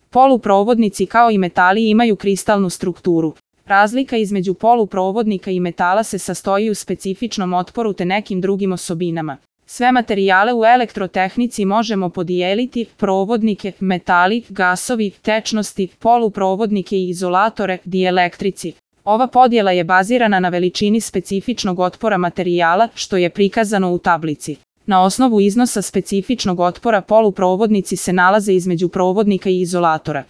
Poluprovodnici kao i metali imaju kristalnu strukturu. Razlika između poluprovodnika i metala se sastoji u specifičnom otporu te nekim drugim osobinama. Sve materijale u elektrotehnici možemo podijeliti: provodnike, metali, gasovi, tečnosti, poluprovodnike i izolatore, dielektrici. Ova podjela je bazirana na veličini specifičnog otpora materijala, što je prikazano u tablici. Na osnovu iznosa specifičnog otpora poluprovodnici se nalaze između provodnika i izolatora.